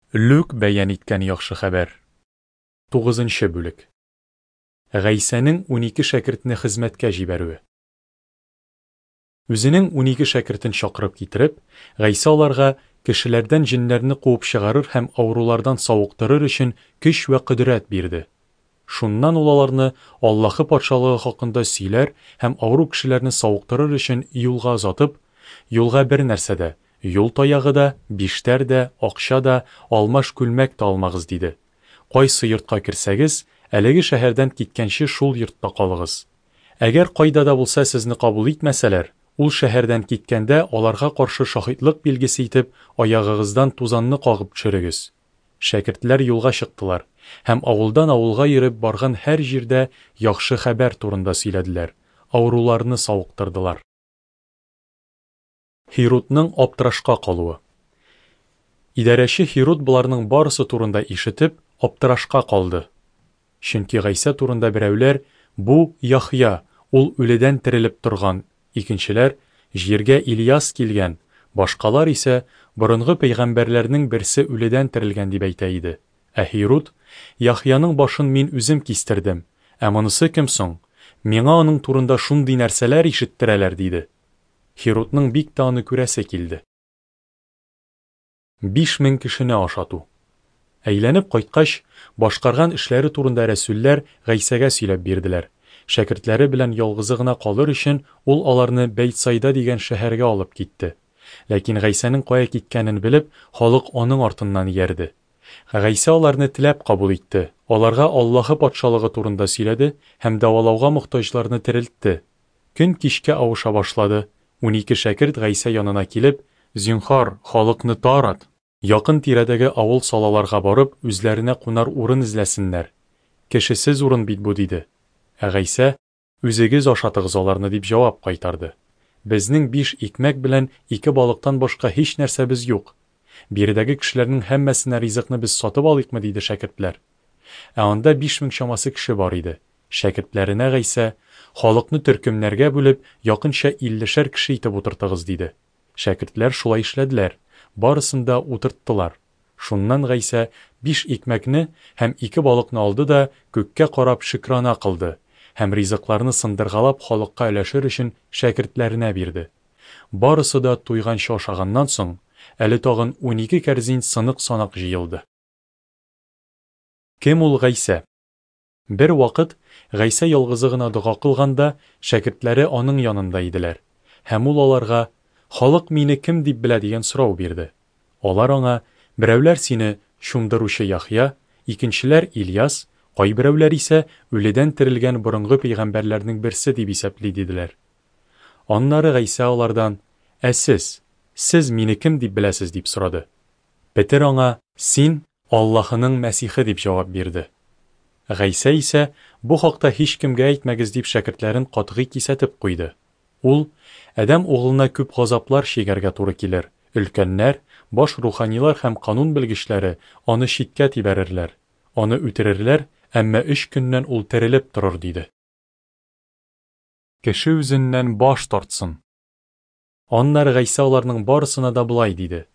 Лүк бәян иткән яхшы хәбәр. Тугызынчы бүлек. Гайсәнең 12 шәкертне хезмәткә җибәрүе. Үзенең 12 шәкертен чакырып китереп, Гайсә аларга кешеләрдән җеннәрне куып чыгарыр һәм авырулардан савыктырыр өчен көч вә кодрәт бирде. Шуннан ул аларны Аллаһы Патшалыгы хакында сөйләр һәм авыру кешеләрне савыктырыр өчен юлга озатып, Юлга бер нәрсә дә, юл таягы да, биштәр дә, акча да, алмаш күлмәк тә алмагыз, диде. Кайсы йортка керсәгез, әлеге шәһәрдән киткәнче шул йортта калыгыз. Әгәр кайда да булса сезне кабул итмәсәләр, ул шәһәрдән киткәндә аларга каршы шаһитлык билгесе итеп аягыгыздан тузанны кагып төшерегез. Шәкертләр юлга чыктылар һәм авылдан авылга йөреп барган һәр җирдә яхшы хәбәр турында сөйләделәр, авыруларны савыктырдылар. Һирудның аптырашка калуы. Идарәче Һируд боларның барысы турында ишетеп, аптырашка калды. Чөнки Гайсә турында берәүләр, Бу, Яхъя, ул үледән терелеп торган, икенчеләр, Җиргә Ильяс килгән, башкалар исә, Борынгы пәйгамбәрләрнең берсе үледән терелгән, дип әйтә иде. Ә Һируд, Яхъяның башын мин үзем кистердем, ә монысы кем соң? Миңа аның турында шундый нәрсәләр ишеттерәләр, диде. Һирудның бик тә аны күрәсе килде. 5000 кешене ашату. Әйләнеп кайткач, башкарган эшләре турында рәсүлләр Гайсәгә сөйләп бирделәр. Шәкертләре белән ялгызы гына калыр өчен, ул аларны Бәйтсайда дигән шәһәргә алып китте. Ләкин Гайсәнең кая киткәнен белеп, халык аның артыннан иярде. Гайсә аларны теләп кабул итте, аларга Аллаһы Патшалыгы турында сөйләде һәм дәвалауга мохтаҗларны терелтте. Көн кичкә авыша башлады. 12 шәкерт Гайсә янына килеп, Зинһар, халыкны тарат. Якын тирәдәге авыл-салаларга барып, үзләренә кунар урын эзләсеннәр. Кешесез урын бит бу, диде. Ә Гайсә, Үзегез ашатыгыз аларны, дип җавап кайтарды. Безнең биш икмәк белән ике балыктан башка һич нәрсәбез юк. Биредәге кешеләрнең һәммәсенә ризыкны без сатып алыйкмы, диде шәкертләр. Ә анда 5000 чамасы кеше бар иде. Шәкертләренә Гайсә, Халыкны төркемнәргә бүлеп, якынча иллешәр кеше итеп утыртыгыз, диде. Шәкертләр шулай эшләделәр, барысын да утырттылар. Шуннан Гайсә биш икмәкне һәм ике балыкны алды да күккә карап шөкрана кылды һәм ризыкларны сындыргалап халыкка өләшер өчен шәкертләренә бирде. Барысы да туйганчы ашаганнан соң, әле тагын 12 кәрзин сынык-санак җыелды. Кем ул Гайсә? Бер вакыт Гайсә ялгызы гына дога кылганда, шәкертләре аның янында иделәр. Һәм ул аларга, Халык мине кем дип белә дигән сорау бирде. Алар аңа, Берәүләр сине Чумдыручы Яхъя, икенчеләр Ильяс, кайберәүләр исә үледән терелгән борынгы пәйгамбәрләрнең берсе дип исәпли, диделәр. Аннары Гайсә алардан, Ә сез, сез мине кем дип беләсез? дип сорады. Петер аңа, Син, Аллаһының Мәсихе, дип җавап бирде. Гайсә исә, Бу хакта һичкемгә әйтмәгез, дип шәкертләрен катгый кисәтеп куйды. Ул, Адәм угылына күп газаплар чигәргә туры килер, өлкәннәр, баш руханилар һәм канун белгечләре аны читкә тибәрерләр, аны үтерерләр, әмма өч көннән ул терелеп торыр, диде. Кеше үзеннән баш тартсын. Аннары Гайсә аларның барысына да болай диде: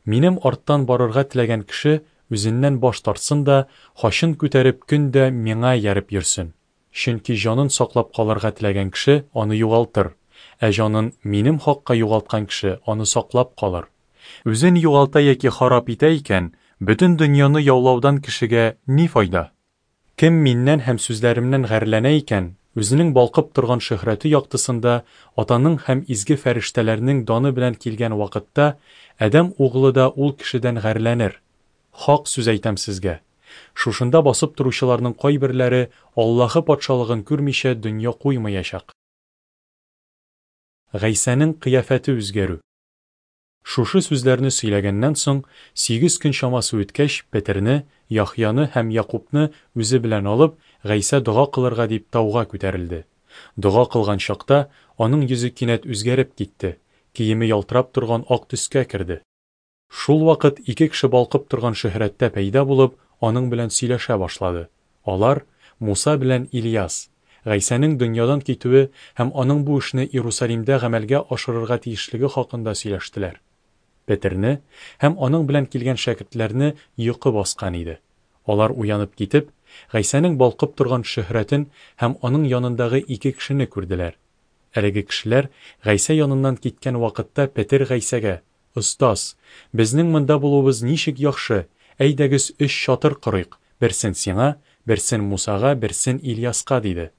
Минем арттан барырга теләгән кеше үзеннән баш тартсын да, хачын күтәреп көн дә миңа ияреп йөрсен. Чөнки җанын саклап калырга теләгән кеше аны югалтыр, ә җанын минем хакка югалткан кеше аны саклап калыр. Үзен югалта яки харап итә икән, бөтен дөньяны яулаудан кешегә ни файда? Кем миннән һәм сүзләремнән гарьләнә икән, үзенең балкып торган шөһрәте яктысында Атаның һәм изге фәрештәләрнең даны белән килгән вакытта, Адәм Углы да ул кешедән гарьләнер. Хак сүз әйтәм сезгә, шушында басып торучыларның кайберләре Аллаһы Патшалыгын күрмичә дөнья куймаячак. Гайсәнең кыяфәте үзгәрү. Шушы сүзләрне сөйләгәннән соң, сигез көн чамасы үткәч, Петерне, Яхъяны һәм Якубны үзе белән алып, Гайсә дога кылырга дип тауга күтәрелде. Дога кылган чакта, аның йөзе кинәт үзгәреп китте, киеме ялтырап торган ак төскә керде. Шул вакыт ике кеше балкып торган шөһрәттә пәйда булып, аның белән сөйләшә башлады. Алар, Муса белән Ильяс. Гайсәнең дөньядан китүе һәм аның бу эшне Иерусалимдә гамәлгә ашырырга тиешлеге хакында сөйләштеләр. Петерне һәм аның белән килгән шәкертләрне йокы баскан иде. Алар уянып китеп, Гайсәнең балкып торган шөһрәтен һәм аның янындагы ике кешене күрделәр. Әлеге кешеләр Гайсә яныннан киткән вакытта Петер Гайсәгә, Остаз, безнең монда булуыбыз ничек яхшы, әйдәгез өч чатыр корыйк, берсен сиңа, берсен Мусага, берсен Ильяска, диде.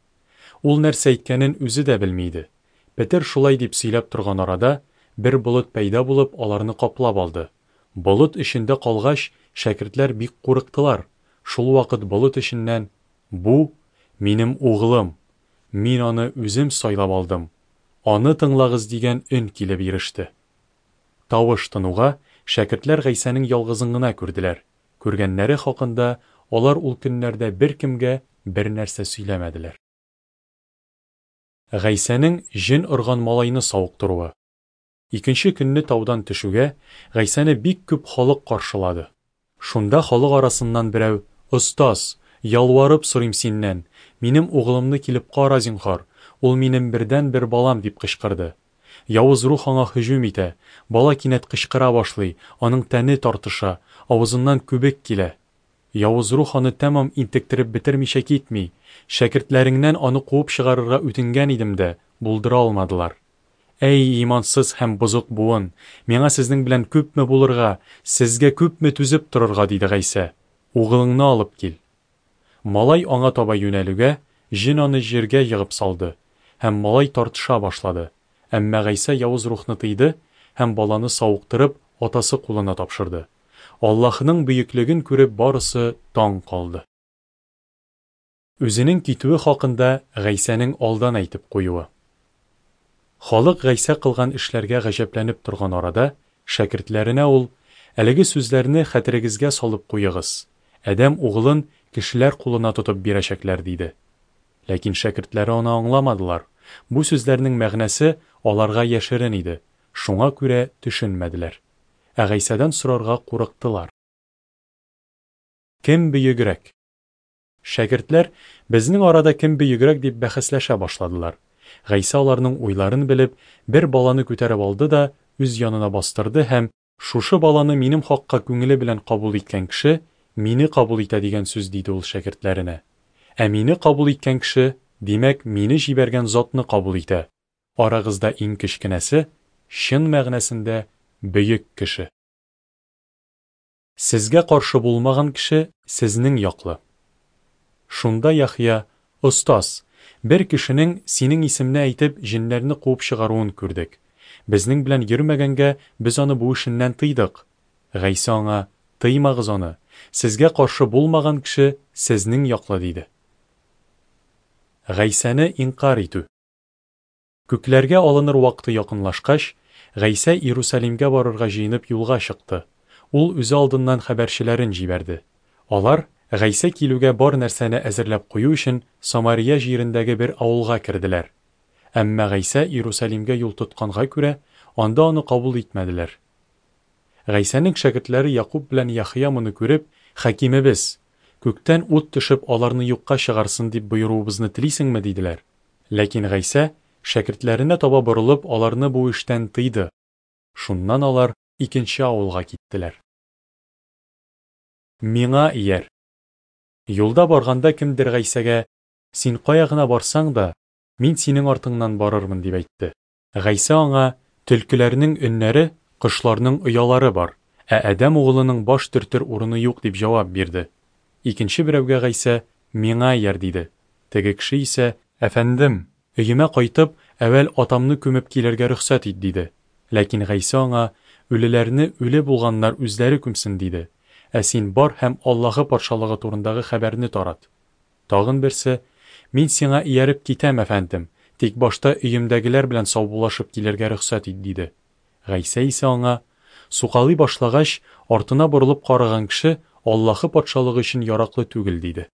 Ул нәрсә әйткәнен үзе дә белми иде. Петер шулай дип сөйләп торган арада, бер болыт пәйда булып, аларны каплап алды. Болыт эчендә калгач, шәкертләр бик курыктылар. Шулвакыт болыт эченнән, Бу, минем Углым, мин аны үзем сайлап алдым, аны тыңлагыз дигән өн килеп иреште. Тавыш тынуга, шәкертләр Гайсәнең ялгызын гына күрделәр. Күргәннәре хакында алар ул көннәрдә беркемгә бернәрсә сөйләмәделәр. Гайсәнең җен орган малайны савыктыруы. Икенче көнне таудан төшүгә, Гайсәне бик күп халык каршылады. Шунда халык арасыннан берәү, Остаз, ялварып сорыйм синнән, минем угылымны килеп кара, зинһар, ул минем бердәнбер балам, дип кычкырды. Явыз рух аңа һөҗүм итә, бала кинәт кычкыра башлый, аның тәне тартыша, авызыннан күбек килә. Явыз рух аны тәмам интектереп бетермичә китми. Шәкертләреңнән аны куып чыгарырга үтенгән идем дә, булдыра алмадылар. Әй, имансыз һәм бозык буын, миңа сезнең белән күпме булырга, сезгә күпме түзеп торырга, диде Гайсә. Угылыңны алып кил. Малай аңа таба юнәлүгә, җен аны җиргә егып салды, һәм малай тартыша башлады. Әмма Гайсә явыз рухны тыйды һәм баланы савыктырып, атасы кулына тапшырды. Аллаһының бөеклеген күреп барысы таң калды. Үзенең китүе хакында Гайсәнең алдан әйтеп куюы. Халык Гайсә кылган эшләргә гаҗәпләнеп торган арада, шәкертләренә ул, Әлеге сүзләрне хәтерегезгә салып куегыз, Адәм Угылын кешеләр кулына тотып бирәчәкләр, диде. Ләкин шәкертләре аны аңламадылар. Бу сүзләрнең мәгънәсе аларга яшерен иде, шуңа күрә төшенмәделәр. Ә Гайсәдән сорарга курыктылар. Кем бөегрәк? Шәкертләр, безнең арада кем бөегрәк дип бәхәсләшә башладылар. Гайсә аларның уйларын белеп, бер баланы күтәреп алды да үз янына бастырды һәм, Шушы баланы минем хакка күңеле белән кабул иткән кеше, мине кабул итә дигән сүз, диде ул шәкертләренә. Ә мине кабул иткән кеше, димәк, мине җибәргән затны кабул итә. Арагызда иң кечкенәсе, чын мәгънәсендә бөек кеше. Сезгә каршы булмаган кеше сезнең яклы. Шунда Яхъя, Остаз, бер кешенең, синең исемне әйтеп, җеннәрне куып чыгаруын күрдек. Безнең белән йөрмәгәнгә, без аны бу эшеннән тыйдык. Гайсә аңа, Тыймагыз аны, сезгә каршы булмаган кеше сезнең яклы, диде. Гайсәне инкарь итү. Күкләргә алыныр вакыты якынлашкач, Гайсә Иерусалимгә барырга җыенып юлга чыкты. Ул үзе алдыннан хәбәрчеләрен җибәрде. Алар, Гайсә килүгә бар нәрсәне әзерләп кую өчен, Самария җирендәге бер авылга керделәр. Әмма Гайсә Иерусалимгә юл тотканга күрә, анда аны кабул итмәделәр. Гайсәнең шәкертләре Якуб белән Яхъя моны күреп, Хакимебез, күктән ут төшеп аларны юкка чыгарсын дип боеруыбызны телисеңме? диделәр. Ләкин Гайсә, шәкертләренә таба борылып, аларны бу эштән тыйды. Шуннан алар икенче авылга киттеләр. Миңа ияр. Юлда барганда кемдер Гайсәгә, Син кая гына барсаң да, мин синең артыңнан барырмын, дип әйтте. Гайсә аңа, Төлкеләрнең өннәре, кошларның оялары бар, ә Адәм Угылының баш төртер урыны юк, дип җавап бирде. Икенче берәүгә Гайсә, Миңа ияр, диде. Теге кеше исә, Әфәндем, өемә кайтып, әүвәл атамны күмеп килергә рөхсәт ит, диде. Ләкин Гайсә аңа, Үлеләрне үле булганнар үзләре күмсен, диде. Ә син бар һәм Аллаһы Патшалыгы турындагы хәбәрне тарат. Тагын берсе, Мин сиңа ияреп китәм, әфәндем, тик башта өемдәгеләр белән саубуллашып килергә рөхсәт ит, диде. Гайсә исә аңа, Сукалый башлагач, артына борылып караган кеше Аллаһы Патшалыгы өчен яраклы түгел, диде.